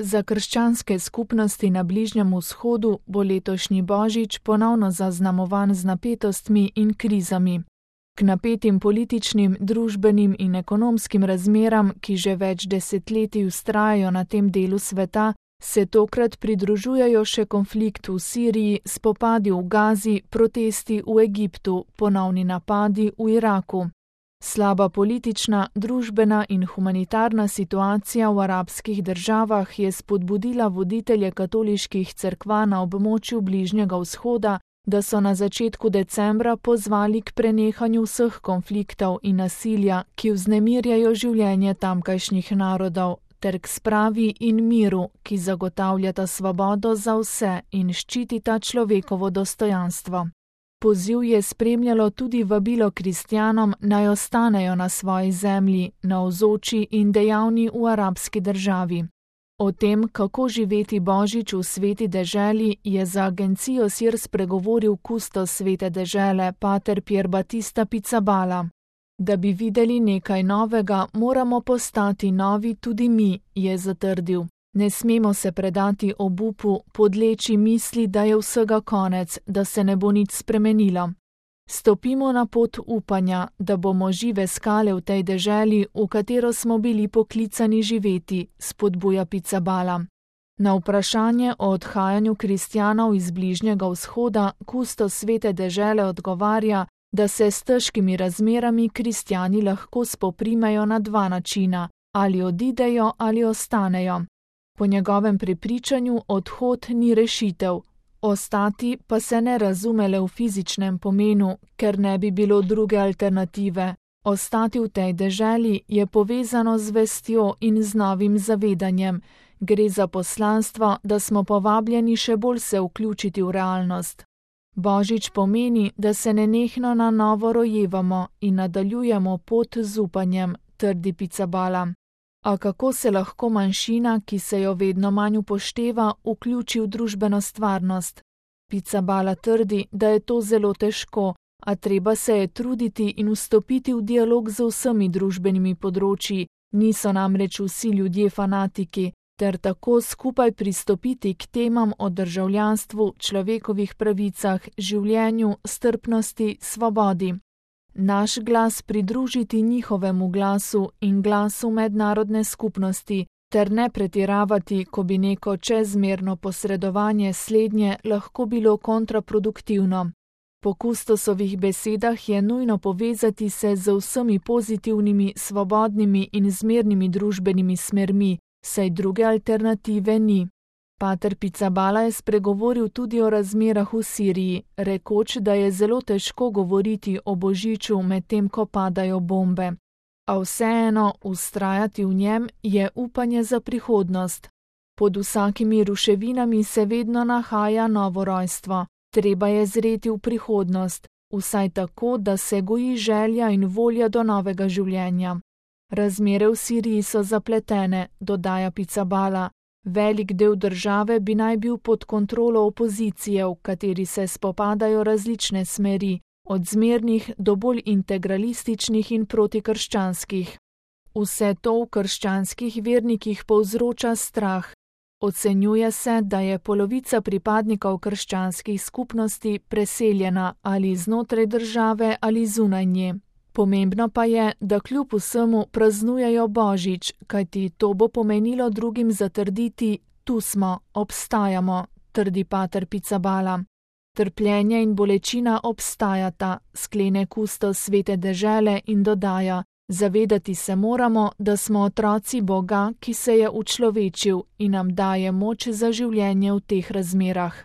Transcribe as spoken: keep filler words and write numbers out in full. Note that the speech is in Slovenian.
Za krščanske skupnosti na Bližnjem vzhodu bo letošnji božič ponovno zaznamovan z napetostmi in krizami. K napetim političnim, družbenim in ekonomskim razmeram, ki že več desetletij vztrajajo na tem delu sveta, se tokrat pridružujejo še konflikt v Siriji, spopadi v Gazi, protesti v Egiptu, ponovni napadi v Iraku. Slaba politična, družbena in humanitarna situacija v arabskih državah je spodbudila voditelje katoliških cerkva na območju Bližnjega vzhoda, da so na začetku decembra pozvali k prenehanju vseh konfliktov in nasilja, ki vznemirjajo življenje tamkajšnjih narodov, ter k spravi in miru, ki zagotavljata svobodo za vse in ščitita človekovo dostojanstvo. Poziv je spremljalo tudi vabilo kristjanom, naj ostanejo na svoji zemlji, navzoči in dejavni v arabski državi. O tem, kako živeti božič v sveti deželi, je za agencijo Sir spregovoril kustos svete dežele, pater Pier Battista Pizzaballa. Da bi videli nekaj novega, moramo postati novi tudi mi, je zatrdil. Ne smemo se predati obupu, podleči misli, da je vsega konec, da se ne bo nič spremenilo. Stopimo na pot upanja, da bomo žive skale v tej deželi, v katero smo bili poklicani živeti, spodbuja Pizzaballa. Na vprašanje o odhajanju kristjanov iz Bližnjega vzhoda kustos svete dežele odgovarja, da se s težkimi razmerami kristjani lahko spoprimejo na dva načina, ali odidejo ali ostanejo. Po njegovem prepričanju odhod ni rešitev, ostati pa se ne razume le v fizičnem pomenu, ker ne bi bilo druge alternative. Ostati v tej deželi je povezano z vestjo in z novim zavedanjem. Gre za poslanstvo, da smo povabljeni še bolj se vključiti v realnost. Božič pomeni, da se nenehno na novo rojevamo in nadaljujemo pot z upanjem, trdi Pizzaballa. A kako se lahko manjšina, ki se jo vedno manj upošteva, vključi v družbeno stvarnost? Pizzaballa trdi, da je to zelo težko, a treba se je truditi in vstopiti v dialog z vsemi družbenimi področji, niso namreč vsi ljudje fanatiki, ter tako skupaj pristopiti k temam o državljanstvu, človekovih pravicah, življenju, strpnosti, svobodi. Naš glas pridružiti njihovemu glasu in glasu mednarodne skupnosti, ter ne pretiravati, ko bi neko čezmerno posredovanje slednje lahko bilo kontraproduktivno. Po kustosovih besedah je nujno povezati se z vsemi pozitivnimi, svobodnimi in zmernimi družbenimi smermi, saj druge alternative ni. Pater Pizzaballa je spregovoril tudi o razmerah v Siriji, rekoč, da je zelo težko govoriti o božiču medtem, ko padajo bombe. A vseeno vztrajati v njem je upanje za prihodnost. Pod vsakimi ruševinami se vedno nahaja novo rojstvo. Treba je zreti v prihodnost, vsaj tako, da se goji želja in volja do novega življenja. Razmere v Siriji so zapletene, dodaja Pizzaballa. Velik del države bi naj bil pod kontrolo opozicije, v kateri se spopadajo različne smeri, od zmernih do bolj integralističnih in protikrščanskih. Vse to v krščanskih vernikih povzroča strah. Ocenjuje se, da je polovica pripadnikov krščanskih skupnosti preseljena ali znotraj države ali zunaj nje. Pomembno pa je, da kljub vsemu praznujejo božič, kajti to bo pomenilo drugim zatrditi, tu smo, obstajamo, trdi pater Pizzaballa. Trpljenje in bolečina obstajata, sklene kustos svete dežele in dodaja, zavedati se moramo, da smo otroci Boga, ki se je učlovečil in nam daje moč za življenje v teh razmerah.